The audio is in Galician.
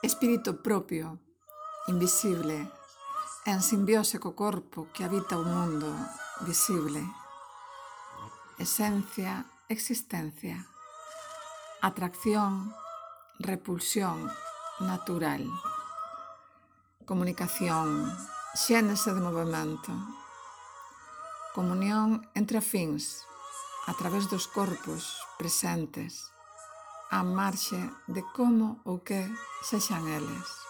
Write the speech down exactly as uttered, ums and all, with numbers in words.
espírito propio, invisible, en simbiose co corpo que habita o mundo visible. Esencia, existencia, atracción, repulsión natural, comunicación, xénese de movimento, comunión entre afíns a través dos corpos presentes, á marxe de como ou que sexan eles.